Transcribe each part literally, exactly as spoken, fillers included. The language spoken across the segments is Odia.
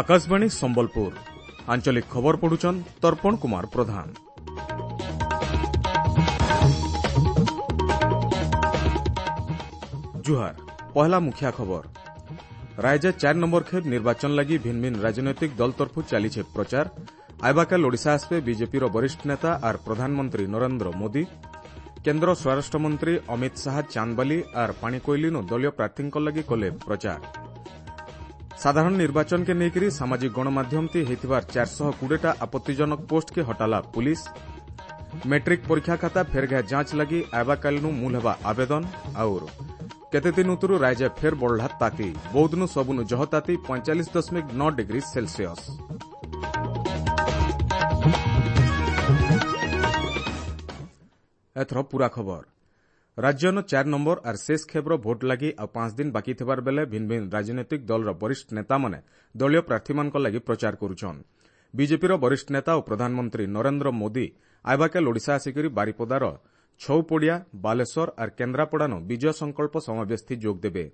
Akashvani Sambalpur ଆଞ୍ଚଳିକ ଖବର ପଢୁଛନ୍ ତର୍ପଣ କୁମାର ପ୍ରଧାନ। ଜୁହାର, ପହଲା ମୁଖିଆ ଖବର। ରାଜ୍ୟ ଚାର ନମ୍ବର ଖେପ୍ ନିର୍ବାଚନ ଲାଗି ଭିନ୍ ଭିନ୍ ରାଜନୈତିକ ଦଳ ତରଫୁ ଚାଲିଛେ ପ୍ରଚାର। ଆଇବାକାଲ ଓଡ଼ିଶା ଆସବେ ବିଜେପିର ବରିଷ୍ଠ ନେତା ଆର୍ ପ୍ରଧାନମନ୍ତ୍ରୀ ନରେନ୍ଦ୍ର ମୋଦି। କେନ୍ଦ୍ର ସ୍ୱରାଷ୍ଟ୍ରମନ୍ତ୍ରୀ ଅମିତ ଶାହା ଚାନ୍ଦବାଲି ଆର୍ ପାଣିକୋଇଲିନୁ ଦଳୀୟ ପ୍ରାର୍ଥୀଙ୍କ ଲାଗି କଲେ ପ୍ରଚାର। ସାଧାରଣ ନିର୍ବାଚନକେ ନେଇକରି ସାମାଜିକ ଗଣମାଧ୍ୟମତି ହେଇଥିବାର ଚାରିଶହ କୋଡ଼ିଏଟା ଆପତ୍ତିଜନକ ପୋଷ୍ଟକେ ହଟାଲା ପୁଲିସ୍। ମେଟ୍ରିକ୍ ପରୀକ୍ଷା ଖାତା ଫେରଘା ଯାଞ୍ଚ ଲାଗି ଆଇବାକାଲିନୁ ମୂଲ ହେବା ଆବେଦନ। ଆଉର କେତେ ଦିନ ଉତରୁ ରାଜ୍ୟ ଫେର୍ ବଢ଼ଲା ତାତି, ବୌଦ୍ଧନୁ ସବୁନୁ ଜହ ତାତି ପଇଁଚାଳିଶ ଦଶମିକ ନଅ ଡିଗ୍ରୀ ସେଲସିୟସ୍। ଏଥର ପୁରା ଖବର। ରାଜ୍ୟନ ଚାର ନମ୍ବର ଆର୍ ଶେଷ ଖେପ୍ର ଭୋଟ ଲାଗି ଆଉ ପାଞ୍ଚ ଦିନ ବାକି ଥିବାର ବେଲେ ଭିନ୍ ଭିନ୍ ରାଜନୈତିକ ଦଳର ବରିଷ୍ଠ ନେତାମାନେ ଦଳୀୟ ପ୍ରାର୍ଥୀମାନଙ୍କ ଲାଗି ପ୍ରଚାର କରୁଛନ୍। ବିଜେପିର ବରିଷ୍ଠ ନେତା ଓ ପ୍ରଧାନମନ୍ତ୍ରୀ ନରେନ୍ଦ୍ର ମୋଦି ଆଇବାକାଲ ଓଡ଼ିଶା ଆସିକରି ବାରିପଦାର ଛଉପଡ଼ିଆ, ବାଲେଶ୍ୱର ଆର୍ କେନ୍ଦ୍ରାପଡ଼ାନୁ ବିଜୟ ସଂକଳ୍ପ ସମାବେଶଥି ଯୋଗ ଦେବେ।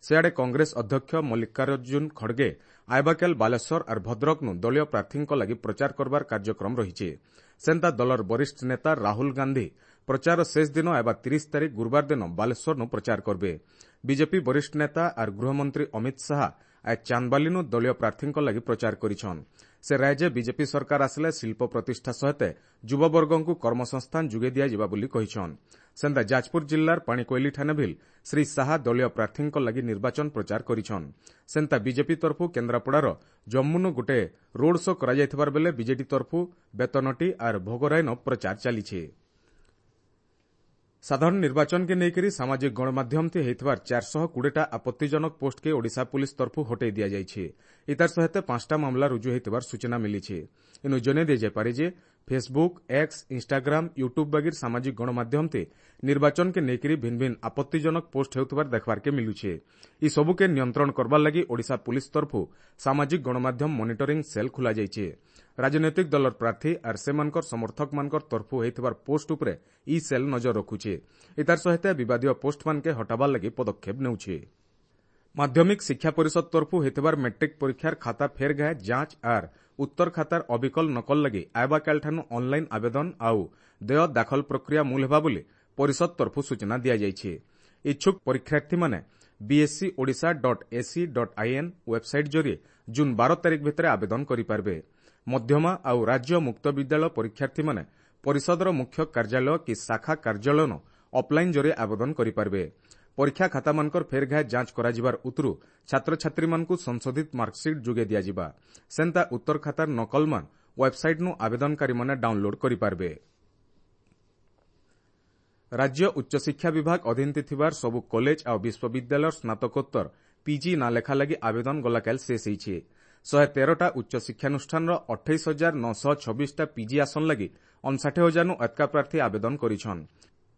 ସେଆଡ଼େ କଂଗ୍ରେସ ଅଧ୍ୟକ୍ଷ ମଲ୍ଲିକାର୍ଜୁନ ଖଡ଼ଗେ ଆଇବାକାଲ ବାଲେଶ୍ୱର ଆର୍ ଭଦ୍ରକନୁ ଦଳୀୟ ପ୍ରାର୍ଥୀଙ୍କ ଲାଗି ପ୍ରଚାର କରବାର କାର୍ଯ୍ୟକ୍ରମ ରହିଛି। ସେନ୍ତା ଦଳର ବରିଷ୍ଠ ନେତା ରାହୁଲ ଗାନ୍ଧୀ ପ୍ରଚାର ଶେଷ ଦିନ ଆଇବା ତିରିଶ ତାରିଖ ଗୁରୁବାର ଦିନ ବାଲେଶ୍ୱରନୁ ପ୍ରଚାର କରବେ। ବିଜେପି ବରିଷ୍ଠ ନେତା ଆର୍ ଗୃହମନ୍ତ୍ରୀ ଅମିତ ଶାହା ଆଜ ଚାନ୍ଦବାଲିନୁ ଦଳୀୟ ପ୍ରାର୍ଥୀଙ୍କ ଲାଗି ପ୍ରଚାର କରିଛନ୍। ସେ ରାଜ୍ୟ ବିଜେପି ସରକାର ଆସିଲେ ଶିଳ୍ପ ପ୍ରତିଷ୍ଠା ସହିତ ଯୁବବର୍ଗଙ୍କୁ କର୍ମସଂସ୍ଥାନ ଯୋଗାଇ ଦିଆଯିବା ବୋଲି କହିଛନ୍। ସେନ୍ତା ଯାଜପୁର ଜିଲ୍ଲାର ପାଣିକୋଇଲିଠାନେ ଭିଲ୍ ଶ୍ରୀ ଶାହା ଦଳୀୟ ପ୍ରାର୍ଥୀଙ୍କ ଲାଗି ନିର୍ବାଚନ ପ୍ରଚାର କରିଛନ୍। ସେନ୍ତା ବିଜେପି ତରଫୁ କେନ୍ଦ୍ରାପଡ଼ାର ଜମ୍ମୁନୁ ଗୋଟେ ରୋଡ୍ ଶୋ କରାଯାଇଥିବାର ବେଲେ ବିଜେଡି ତରଫୁ ବେତନଟି ଆର୍ ଭୋଗରାଇନ ପ୍ରଚାର ଚାଲିଛି। ସାଧାରଣ ନିର୍ବାଚନକେ ନେଇକରି ସାମାଜିକ ଗଣମାଧ୍ୟମଥି ହେଇଥିବାର ଚାରିଶହ କୋଡ଼ିଏଟା ଆପତ୍ତିଜନକ ପୋଷ୍ଟକେ ଓଡ଼ିଶା ପୁଲିସ୍ ତରଫୁ ହଟେଇ ଦିଆଯାଇଛି। ଇତାର ସହିତ ପାଞ୍ଚଟା ମାମଲା ରୁଜୁ ହେଇଥିବାର ସୂଚନା ମିଳିଛି। ଇନୁ ଜଣେଇ ଦିଆଯାଇପାରେ ଯେ ଫେସବୁକ୍, ଏକ୍ସ, ଇନ୍ଷ୍ଟାଗ୍ରାମ, ୟୁଟ୍ୟୁବ୍ ବାଗିର ସାମାଜିକ ଗଣମାଧ୍ୟମଥି ନିର୍ବାଚନକେ ନେଇକରି ଭିନ୍ ଭିନ୍ ଆପତ୍ତିଜନକ ପୋଷ୍ଟ ହେଉଥିବାର ଦେଖବାର୍କେ ମିଲୁଛେ। ଇ ସବୁକେ ନିୟନ୍ତ୍ରଣ କରବାର ଲାଗି ଓଡ଼ିଶା ପୁଲିସ୍ ତରଫୁ ସାମାଜିକ ଗଣମାଧ୍ୟମ ମନିଟରିଂ ସେଲ୍ ଖୋଲାଯାଇଛି। ରାଜନୈତିକ ଦଳର ପ୍ରାର୍ଥୀ ଆର୍ ସେମାନଙ୍କର ସମର୍ଥକମାନଙ୍କର ତରଫୁ ହେଇଥିବାର ପୋଷ୍ଟ ଉପରେ ଇ ସେଲ୍ ନଜର ରଖୁଛେ। ଇତାର ସହିତ ବିବାଦୀୟ ପୋଷ୍ଟମାନକେ ହଟାବାର ଲାଗି ପଦକ୍ଷେପ ନେଉଛି। ମାଧ୍ୟମିକ ଶିକ୍ଷା ପରିଷଦ ତରଫୁ ହେଇଥିବାର ମେଟ୍ରିକ୍ ପରୀକ୍ଷାର ଖାତା ଫେରଘା ଯାଞ୍ଚ ଆର୍ ଉତ୍ତର ଖାତାର ଅବିକଲ ନକଲ ଲାଗି ଆଇବାକାଲିଠାନୁ ଅନ୍ଲାଇନ୍ ଆବେଦନ ଆଉ ଦେୟ ଦାଖଲ ପ୍ରକ୍ରିୟା ମୂଲ ହେବା ବୋଲି ପରିଷଦ ତରଫୁ ସୂଚନା ଦିଆଯାଇଛି। ଇଚ୍ଛୁକ ପରୀକ୍ଷାର୍ଥୀମାନେ B S E Odisha dot A C dot I N website ଜରିଏ ଜୁନ୍ ବାର ତାରିଖ ଭିତରେ ଆବେଦନ କରିପାରିବେ। ମଧ୍ୟମା ଆଉ ରାଜ୍ୟ ମୁକ୍ତ ବିଦ୍ୟାଳୟ ପରୀକ୍ଷାର୍ଥୀମାନେ ପରିଷଦର ମୁଖ୍ୟ କାର୍ଯ୍ୟାଳୟ କି ଶାଖା କାର୍ଯ୍ୟାଳୟନ ଅଫ୍ଲାଇନ୍ ଜରିଏ ଆବେଦନ କରିପାରିବେ। ପରୀକ୍ଷା ଖାତାମାନଙ୍କର ଫେରଘା ଯାଞ୍ଚ କରାଯିବାର ଉତରୁ ଛାତ୍ରଛାତ୍ରୀମାନଙ୍କୁ ସଂଶୋଧିତ ମାର୍କସିଟ୍ ଯୋଗାଇ ଦିଆଯିବା। ସେନ୍ତା ଉତ୍ତର ଖାତାର ନକଲମାନ ୱେବ୍ସାଇଟ୍ନୁ ଆବେଦନକାରୀମାନେ ଡାଉନଲୋଡ୍ କରିପାରିବେ। ରାଜ୍ୟ ଉଚ୍ଚଶିକ୍ଷା ବିଭାଗ ଅଧୀନରେ ଥିବାର ସବୁ କଲେଜ ଆଉ ବିଶ୍ୱବିଦ୍ୟାଳୟର ସ୍ନାତକୋତ୍ତର ପିଜି ନାଁ ଲେଖା ଲାଗି ଆବେଦନ ଗଲାକାଲି ଶେଷ ହେଇଛି। ଶହେ ତେରଟା ଉଚ୍ଚଶିକ୍ଷାନୁଷ୍ଠାନର ଅଠେଇଶ ହଜାର ନଅଶହ ଛବିଶଟା ପିଜି ଆସନ ଲାଗି ଅଣଷାଠି ହଜାରନୁ ଏତକା ପ୍ରାର୍ଥୀ ଆବେଦନ କରିଛନ୍।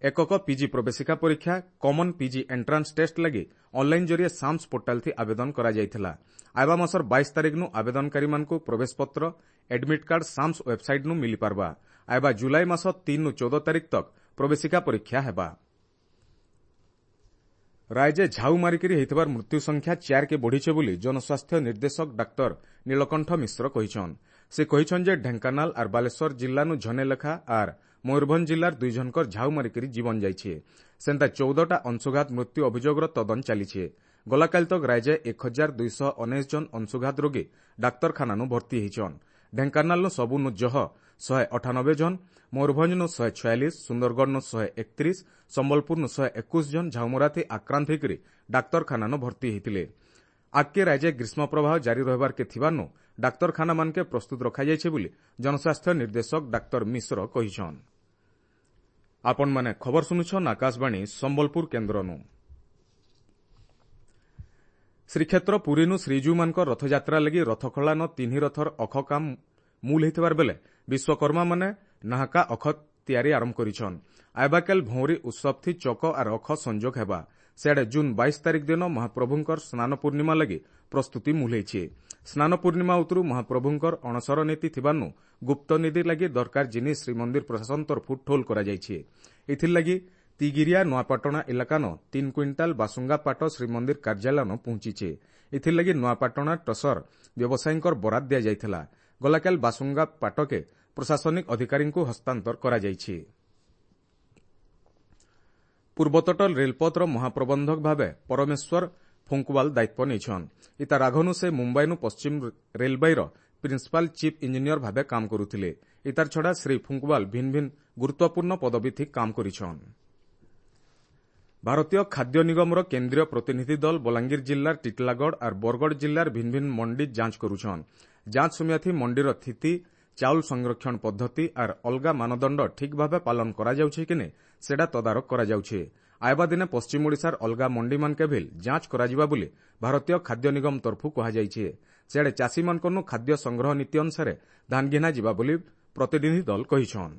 ଏକକ ପିଜି ପ୍ରବେଶିକା ପରୀକ୍ଷା କମନ୍ ପିଜି ଏଣ୍ଟ୍ରାନ୍ସ ଟେଷ୍ଟ ଲାଗି ଅନ୍ଲାଇନ୍ ଜରିଏ ସାମ୍ସ ପୋର୍ଟାଲଥି ଆବେଦନ କରାଯାଇଥିଲା। ଆଇବା ମାସର ବାଇଶ ତାରିଖନୁ ଆବେଦନକାରୀମାନଙ୍କୁ ପ୍ରବେଶପତ୍ର ଆଡମିଟ୍ କାର୍ଡ ସାମ୍ସ ୱେବ୍ସାଇଟ୍ନୁ ମିଳିପାରବା। ଆଇବା ଜୁଲାଇ ମାସ ତିନରୁ ଚଉଦ ତାରିଖ ତକ୍ ପ୍ରବେଶିକା ପରୀକ୍ଷା ହେବା। ରାଜ୍ୟ ଝାଉ ମାରିକରି ହେଇଥିବାର ମୃତ୍ୟୁ ସଂଖ୍ୟା ଚାରିକେ ବଢ଼ିଛେ ବୋଲି ଜନସ୍ୱାସ୍ଥ୍ୟ ନିର୍ଦ୍ଦେଶକ ଡାକ୍ତର ନୀଳକଣ୍ଠ ମିଶ୍ର କହିଛନ୍। ସେ କହିଛନ୍ ଯେ ଢେଙ୍କାନାଳ ଆର୍ ବାଲେଶ୍ୱର ଜିଲ୍ଲାନୁ ଝନେ ଲେଖା ଆର୍ ମୟୂରଭଞ୍ଜ ଜିଲ୍ଲାର ଦୁଇ ଜଣଙ୍କର ଝାଉ ମାରିକରି ଜୀବନ ଯାଇଛି। ସେନ୍ତା ଚଉଦଟା ଅଂଶୁଘାତ ମୃତ୍ୟୁ ଅଭିଯୋଗର ତଦନ୍ତ ଚାଲିଛି। ଗଲାକାଲି ତକ୍ ରାଜ୍ୟ ଏକ ହଜାର ଦୁଇଶହ ଉଣେଇଶ ଜଣ ଅଂଶୁଘାତ ରୋଗୀ ଡାକ୍ତରଖାନାନୁ ଭର୍ତ୍ତି ହେଇଛନ୍। ଢେଙ୍କାନାଳନୁ ସବୁନୁ ଜହ ଶହେ ଅଠାନବେ ଜଣ, ମୟୂରଭଞ୍ଜନୁ ଶହେ ଛୟାଳିଶ, ସୁନ୍ଦରଗଡ଼ନୁ ଶହେ ଏକତିରିଶ, ସମ୍ବଲପୁରନୁ ଶହେ ଏକୋଇଶ ଜଣ ଝାଉମରାଥି ଆକ୍ରାନ୍ତ ହେଇକରି ଡାକ୍ତରଖାନାନୁ ଭର୍ତ୍ତି ହେଇଥିଲେ। ଆଗ୍କେ ରାଜ୍ୟ ଗ୍ରୀଷ୍ମ ପ୍ରବାହ ଜାରି ରହିବାର୍କେ ଥିବାନୁ ଡାକ୍ତରଖାନାମାନକେ ପ୍ରସ୍ତୁତ ରଖାଯାଇଛି ବୋଲି ଜନସ୍ୱାସ୍ଥ୍ୟ ନିର୍ଦ୍ଦେଶକ ଡାକ୍ତର ମିଶ୍ର କହିଛନ୍। ଆପଣମାନେ ଖବର ଶୁଣୁଛନ୍ ଆକାଶବାଣୀ ସମ୍ବଲପୁର କେନ୍ଦ୍ରନୁ। ଶ୍ରୀକ୍ଷେତ୍ର ପୁରୀନୁ ଶ୍ରୀଜୀଉମାନଙ୍କ ରଥଯାତ୍ରା ଲାଗି ରଥଖଳାନ ତିନି ରଥର ଅଖ କାମ ମୂଲ ହେଇଥିବାର ବେଲେ ବିଶ୍ୱକର୍ମାମାନେ ନାହାକା ଅଖ ତିଆରି ଆରମ୍ଭ କରିଛନ୍। ଆଇବାକାଲ ଭଉଁରୀ ଉତ୍ସବଥି ଚକ ଆର୍ ଅଖ ସଂଯୋଗ ହେବା। ସିଆଡ଼େ ଜୁନ୍ ବାଇଶ ତାରିଖ ଦିନ ମହାପ୍ରଭୁଙ୍କର ସ୍ନାନ ପୂର୍ଣ୍ଣିମା ଲାଗି ପ୍ରସ୍ତୁତି ମୂଲ ହେଇଛି। ସ୍ନାନ ପୂର୍ଣ୍ଣିମା ଉତରୁ ମହାପ୍ରଭୁଙ୍କର ଅଣସର ନୀତି ଥିବାନୁ ଗୁପ୍ତ ନୀତି ଲାଗି ଦରକାର ଜିନିଷ ଶ୍ରୀମନ୍ଦିର ପ୍ରଶାସନ ତରଫୁ ଠୋଲ କରାଯାଇଛି। ଏଥିର୍ଲାଗି ତିଗିରିଆ ନୂଆପାଟଣା ଇଲାକାନ ତିନ୍ କୁଇଣ୍ଟାଲ ବାସୁଙ୍ଗା ପାଟ ଶ୍ରୀମନ୍ଦିର କାର୍ଯ୍ୟାଳୟନ ପହଞ୍ଚିଛେ। ଏଥିର୍ଲାଗି ନୂଆପାଟଣା ଟସର ବ୍ୟବସାୟୀଙ୍କର ବରାଦ ଦିଆଯାଇଥିଲା। ଗଲାକାଲ ବାସୁଙ୍ଗା ପାଟକେ ପ୍ରଶାସନିକ ଅଧିକାରୀଙ୍କୁ ହସ୍ତାନ୍ତର କରାଯାଇଛି। ପୂର୍ବତଟ ରେଳପଥର ମହାପ୍ରବନ୍ଧକ ଭାବେ ପରମେଶ୍ୱର ଫୁଙ୍କୁୱାଲ ଦାୟିତ୍ୱ ନେଇଛନ୍। ଇତାର ଆଘନୁ ସେ ମୁମ୍ବାଇନୁ ପଶ୍ଚିମ ରେଲବାଇର ପ୍ରିନ୍ସିପାଲ ଚିଫ୍ ଇଞ୍ଜିନିୟର ଭାବେ କାମ କରୁଥିଲେ। ଇତାର ଛଡ଼ା ଶ୍ରୀ ଫୁଙ୍କୁୱାଲ ଭିନ୍ ଭିନ୍ ଗୁରୁତ୍ୱପୂର୍ଣ୍ଣ ପଦବୀ କାମ କରିଛନ୍। ଭାରତୀୟ ଖାଦ୍ୟ ନିଗମର କେନ୍ଦ୍ରୀୟ ପ୍ରତିନିଧି ଦଳ ବଲାଙ୍ଗୀର ଜିଲ୍ଲାର ଟିଟଲାଗଡ଼ ଆର୍ ବରଗଡ଼ ଜିଲ୍ଲାର ଭିନ୍ ଭିନ୍ ମଣ୍ଡି ଯାଞ୍ଚ କରୁଛନ୍। ଯାଞ୍ଚ ସମୟାଥି ମଣ୍ଡିର ସ୍ଥିତି, ଚାଉଳ ସଂରକ୍ଷଣ ପଦ୍ଧତି ଆର୍ ଅଲଗା ମାନଦଣ୍ଡ ଠିକ୍ ଭାବେ ପାଳନ କରାଯାଉଛି କି ନେ ସେଟା ତଦାରଖ କରାଯାଉଛି। ଆଇବା ଦିନେ ପଶ୍ଚିମ ଓଡ଼ିଶାର ଅଲଗା ମଣ୍ଡିମାନକେ ଭିଲ୍ ଯାଞ୍ଚ କରାଯିବା ବୋଲି ଭାରତୀୟ ଖାଦ୍ୟ ନିଗମ ତରଫୁ କୁହାଯାଇଛି। ସିଆଡ଼େ ଚାଷୀମାନଙ୍କନୁ ଖାଦ୍ୟ ସଂଗ୍ରହ ନୀତି ଅନୁସାରେ ଧାନ ଘିନା ଯିବା ବୋଲି ପ୍ରତିନିଧି ଦଳ କହିଛନ୍।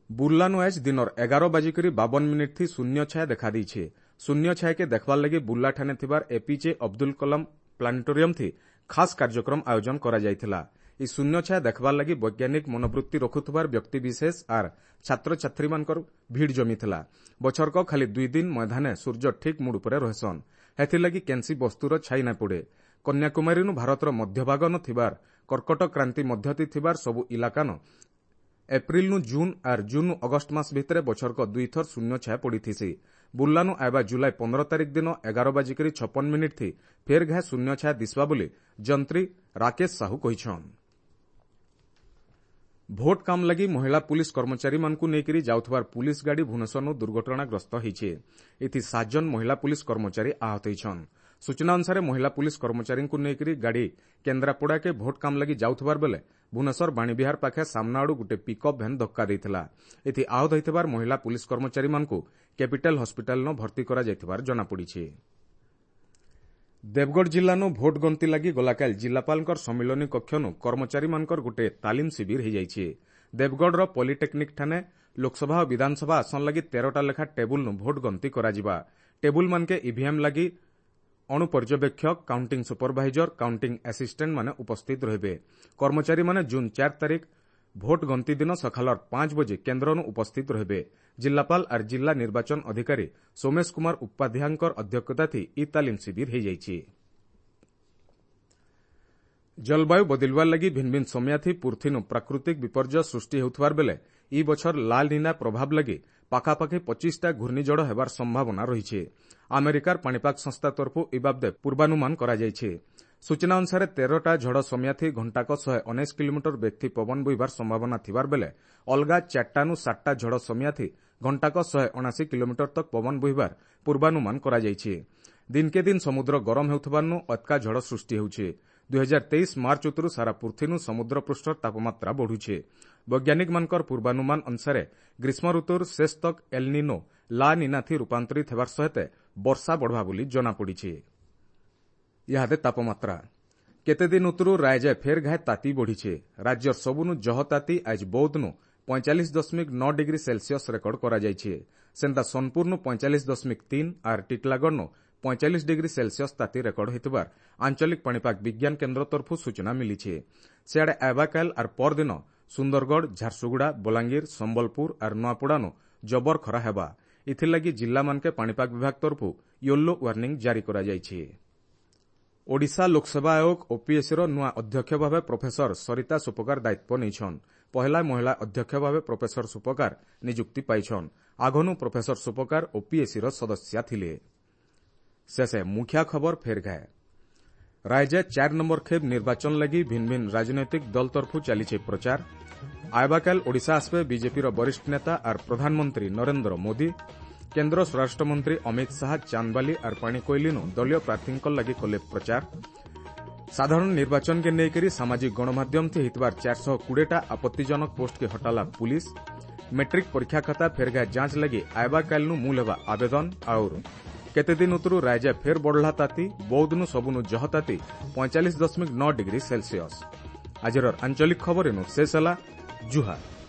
ବୁର୍ଲାନୁ ଆଜ୍ ଦିନର ଏଗାର ବାଜିକରି ବାବନ ମିନିଟ୍ ଥି ଶୂନ୍ୟ ଛାୟା ଦେଖାଦେଇଛେ। ଶୂନ୍ୟ ଛାୟାକେ ଦେଖବାର୍ ଲାଗି ବୁର୍ଲାଠାନେ ଥିବାର ଏପିଜେ ଅବଦୁଲ କଲାମ ପ୍ଲାନେଟୋରିୟମ ଥି ଖାସ୍ କାର୍ଯ୍ୟକ୍ରମ ଆୟୋଜନ କରାଯାଇଥିଲା। ଇ ଶୂନ୍ୟ ଛାୟା ଦେଖବାର୍ ଲାଗି ବୈଜ୍ଞାନିକ ମନୋବୃତ୍ତି ରଖୁଥିବାର ବ୍ୟକ୍ତିବିଶେଷ ଆର୍ ଛାତ୍ରଛାତ୍ରୀମାନଙ୍କର ଭିଡ଼ ଜମିଥିଲା। ବଛରକ ଖାଲି ଦୁଇ ଦିନ ମୈଦାନେ ସୂର୍ଯ୍ୟ ଠିକ୍ ମୁଡ୍ ଉପରେ ରହେସନ୍। ହେଥିର୍ଲାଗି କେନ୍ସି ବସ୍ତୁର ଛାଇ ନାଇଁ ପଡ଼େ। କନ୍ୟାକୁମାରୀନୁ ଭାରତର ମଧ୍ୟଭାଗନ ଥିବାର କର୍କଟ କ୍ରାନ୍ତି ମଧ୍ୟତି ଥିବାର ସବୁ ଇଲାକାନ ଏପ୍ରିଲନୁ ଜୁନ୍ ଆର୍ ଜୁନ୍ନୁ ଅଗଷ୍ଟ ମାସ ଭିତରେ ବଛରକ ଦୁଇଥର ଶୂନ୍ୟ ଛାୟା ପଡ଼ିଥିସି। ବୁର୍ଲାନୁ ଆଇବା ଜୁଲାଇ ପନ୍ଦର ତାରିଖ ଦିନ ଏଗାର ବାଜିକରି ଛପନ ମିନିଟ୍ ଥି ଫେର୍ ଘାଏ ଶୂନ୍ୟ ଛାୟା ଦିଶବା ବୋଲି ଯନ୍ତ୍ରୀ ରାକେଶ ସାହୁ କହିଛନ୍। ଭୋଟ କାମ ଲାଗି ମହିଳା ପୁଲିସ କର୍ମଚାରୀମାନଙ୍କୁ ନେଇକରି ଯାଉଥିବାର ପୁଲିସ ଗାଡ଼ି ଭୁବନେଶ୍ୱରନୁ ଦୁର୍ଘଟଣାଗ୍ରସ୍ତ ହୋଇଛି। ଏଥି ସାତ ଜଣ ମହିଳା ପୁଲିସ କର୍ମଚାରୀ ଆହତ ହୋଇଛନ୍। ସୂଚନା ଅନୁସାରେ ମହିଳା ପୁଲିସ କର୍ମଚାରୀଙ୍କୁ ନେଇକରି ଗାଡ଼ି କେନ୍ଦ୍ରାପଡ଼ାକେ ଭୋଟ କାମ ଲାଗି ଯାଉଥିବାର ବେଲେ ଭୁବନେଶ୍ୱର ବାଣୀବିହାର ପାଖେ ସାମ୍ନା ଆଡ଼ୁ ଗୋଟେ ପିକଅପ୍ ଭ୍ୟାନ୍ ଧକ୍କା ଦେଇଥିଲା। ଏଥି ଆହତ ହୋଇଥିବାର ମହିଳା ପୁଲିସ କର୍ମଚାରୀମାନଙ୍କୁ କ୍ୟାପିଟାଲ ହସ୍ପିଟାଲନ ଭର୍ତ୍ତି କରାଯାଇଥିବାର ଜଣାପଡ଼ିଛି। ଦେବଗଡ଼ ଜିଲ୍ଲାନୁ ଭୋଟ ଗଣତି ଲାଗି ଗଲାକାଲି ଜିଲ୍ଲାପାଳଙ୍କର ସମ୍ମିଳନୀ କକ୍ଷନୁ କର୍ମଚାରୀମାନଙ୍କର ଗୋଟେ ତାଲିମ ଶିବିର ହୋଇଯାଇଛି। ଦେବଗଡ଼ର ପଲିଟେକ୍ନିକ୍ ଠାନେ ଲୋକସଭା ଓ ବିଧାନସଭା ଆସନ ଲାଗି ତେରଟା ଲେଖା ଟେବୁଲନୁ ଭୋଟ ଗଣତି କରାଯିବା। ଟେବୁଲମାନକେ ଇଭିଏମ୍ ଲାଗି ଅଣୁପର୍ଯ୍ୟବେକ୍ଷକ, କାଉଣ୍ଟିଂ ସୁପରଭାଇଜର, କାଉଣ୍ଟିଂ ଆସିଷ୍ଟାଣ୍ଟ ମାନେ ଉପସ୍ଥିତ ରହିବେ। କର୍ମଚାରୀମାନେ ଜୁନ୍ ଚାରି ତାରିଖ ଭୋଟ ଗଣତି ଦିନ ସକାଳର ପାଞ୍ଚ ବଜେ କେନ୍ଦ୍ରନୁ ଉପସ୍ଥିତ ରହିବେ। ଜିଲ୍ଲାପାଳ ଆର୍ ଜିଲ୍ଲା ନିର୍ବାଚନ ଅଧିକାରୀ ସୋମେଶ କୁମାର ଉପାଧ୍ୟାୟଙ୍କର ଅଧ୍ୟକ୍ଷତାଥି ଇ ତାଲିମ ଶିବିର ହୋଇଯାଇଛି। ଜଳବାୟୁ ବଦଳିବାର ଲାଗି ଭିନ୍ ଭିନ୍ ସମୟାଥି ପୃଥିନୁ ପ୍ରାକୃତିକ ବିପର୍ଯ୍ୟୟ ସୃଷ୍ଟି ହେଉଥିବାର ବେଲେ ଇ ବଛର ଲାଲ ନିନା ପ୍ରଭାବ ଲାଗି ପାଖାପାଖି ପଚିଶଟା ଘୂର୍ଣ୍ଣିଝଡ଼ ହେବାର ସମ୍ଭାବନା ରହିଛି। ଆମେରିକାର ପାଣିପାଗ ସଂସ୍ଥା ତରଫରୁ ଏ ବାବଦେ ପୂର୍ବାନୁମାନ କରାଯାଇଛି। ସୂଚନା ଅନୁସାରେ ତେରଟା ଝଡ଼ ସମୟାଥି ଘଣ୍ଟାକ ଶହେ ଉଣେଇଶ କିଲୋମିଟର ବେଗଥି ପବନ ବୋହିବାର ସମ୍ଭାବନା ଥିବାର ବେଲେ ଅଲଗା ଚାରିଟାନୁ ସାତଟା ଝଡ଼ ସମୟାଥି ଘଣ୍ଟାକ ଶହେ ଅଣାଅଶୀ କିଲୋମିଟର ତକ୍ ପବନ ବୋହିବାର ପୂର୍ବାନୁମାନ କରାଯାଇଛି। ଦିନକେ ଦିନ ସମୁଦ୍ର ଗରମ ହେଉଥିବାରୁ ଅତ୍କା ଝଡ଼ ସୃଷ୍ଟି ହେଉଛି। ଦୁଇ ହଜାର ତେଇଶ ମାର୍ଚ୍ଚ ଉତରୁ ସାରା ପୃଥିନୁ ସମୁଦ୍ର ପୃଷ୍ଠର ତାପମାତ୍ରା ବଢ଼ୁଛି। ବୈଜ୍ଞାନିକମାନଙ୍କର ପୂର୍ବାନୁମାନ ଅନୁସାରେ ଗ୍ରୀଷ୍ମ ଋତୁର ଶେଷ ତକ୍ ଏଲନିନୋ ଲା ନିନାଥି ରୂପାନ୍ତରିତ ହେବାର ସହିତ ବର୍ଷା ବଢ଼ବା ବୋଲି ଜଣାପଡ଼ିଛି। ଇହାଦେ ତାପମାତ୍ରା କେତେ ଦିନ ଉତରୁ ରାୟଜେ ଫେର୍ ଘାଏ ତାତି ବଢ଼ିছে। ରାଜ୍ୟର ସବୁନୁ ଜହ ତାତି ଆଜ ବୌଦ୍ଧନୁ ପଇଁଚାଳିଶ ଦଶମିକ ନଅ ଡିଗ୍ରୀ ସେଲସିୟସ୍ ରେକର୍ଡ କରାଯାଇଛି। ସେନ୍ତା ସୋନପୁରନୁ ପଇଁଚାଳିଶ ଦଶମିକ ତିନି ଆର୍ ଟିଟଲାଗଡ଼ନୁ ପଇଁଚାଳିଶ ଡିଗ୍ରୀ ସେଲସିୟସ୍ ତାତି ରେକର୍ଡ ହୋଇଥିବାର ଆଞ୍ଚଳିକ ପାଣିପାଗ ବିଜ୍ଞାନ କେନ୍ଦ୍ର ତରଫରୁ ସୂଚନା ମିଳିଛି। ସିଆଡ଼େ ଆବାକାଲ ଆର୍ ପରଦିନ ସୁନ୍ଦରଗଡ଼, ଝାରସୁଗୁଡ଼ା, ବଲାଙ୍ଗୀର, ସମ୍ବଲପୁର ଆର୍ ନୂଆପଡ଼ାନୁ ଜବର ଖରା ହେବା। ଏଥିର୍ଲାଗି ଜିଲ୍ଲାମାନକେ ପାଣିପାଗ ବିଭାଗ ତରଫରୁ ୟେଲୋ ୱାର୍ଣ୍ଣିଂ ଜାରି କରାଯାଇଛି। ଓଡ଼ିଶା ଲୋକସେବା ଆୟୋଗ ଓପିଏସ୍ସିର ନୂଆ ଅଧ୍ୟକ୍ଷ ଭାବେ ପ୍ରଫେସର ସରିତା ସୁପକାର ଦାୟିତ୍ୱ ନେଇଛନ୍। ପହିଲା ମହିଳା ଅଧ୍ୟକ୍ଷ ଭାବେ ପ୍ରଫେସର ସୁପକାର ନିଯୁକ୍ତି ପାଇଛନ୍। ଆଗନୁ ପ୍ରଫେସର ସୁପକାର ଓପିଏସ୍ସିର ସଦସ୍ୟା ଥିଲେ। ଶେଷେ ମୁଖିଆ ଖବର ଫେର୍ ଘାଏ। ରାଜ୍ୟ ଚାରି ନମ୍ବର ଖେପ୍ ନିର୍ବାଚନ ଲାଗି ଭିନ୍ ଭିନ୍ ରାଜନୈତିକ ଦଳ ତରଫରୁ ଚାଲିছে ପ୍ରଚାର। ଆଇବାକାଲ ଓଡ଼ିଶା ଆସିବେ ବିଜେପିର ବରିଷ୍ଠ ନେତା ଆର୍ ପ୍ରଧାନମନ୍ତ୍ରୀ ନରେନ୍ଦ୍ର ମୋଦି। କେନ୍ଦ୍ର ସ୍ୱରାଷ୍ଟ୍ରମନ୍ତ୍ରୀ ଅମିତ ଶାହା ଚାନ୍ଦବାଲି ଆର୍ ପାଣିକୋଇଲିନୁ ଦଳୀୟ ପ୍ରାର୍ଥୀଙ୍କ ଲାଗି କଲେ ପ୍ରଚାର। ସାଧାରଣ ନିର୍ବାଚନକେ ନେଇକରି ସାମାଜିକ ଗଣମାଧ୍ୟମଥି ହେଇଥିବାର ଚାରିଶହ କୋଡ଼ିଏଟା ଆପତ୍ତିଜନକ ପୋଷ୍ଟକେ ହଟାଲା ପୁଲିସ। ମେଟ୍ରିକ୍ ପରୀକ୍ଷା ଖାତା ଫେରଘା ଯାଞ୍ଚ ଲାଗି ଆଇବାକାଲନୁ ମୂଲ ହେବା ଆବେଦନ। ଆଉର କେତେ ଦିନ ଉତରୁ ରାଜ୍ୟ ଫେର୍ ବଢ଼ଲା ତାତି, ବୌଦ୍ଧନୁ ସବୁନୁ ଜହ ତାତି ପଇଁଚାଳିଶ ଦଶମିକ ନଅ ଡିଗ୍ରୀ ସେଲସିୟସ୍। ଆଜିର ଆଞ୍ଚଳିକ ଖବର ଏନୁ ଶେଷ ହେଲା। ଜୁହାର।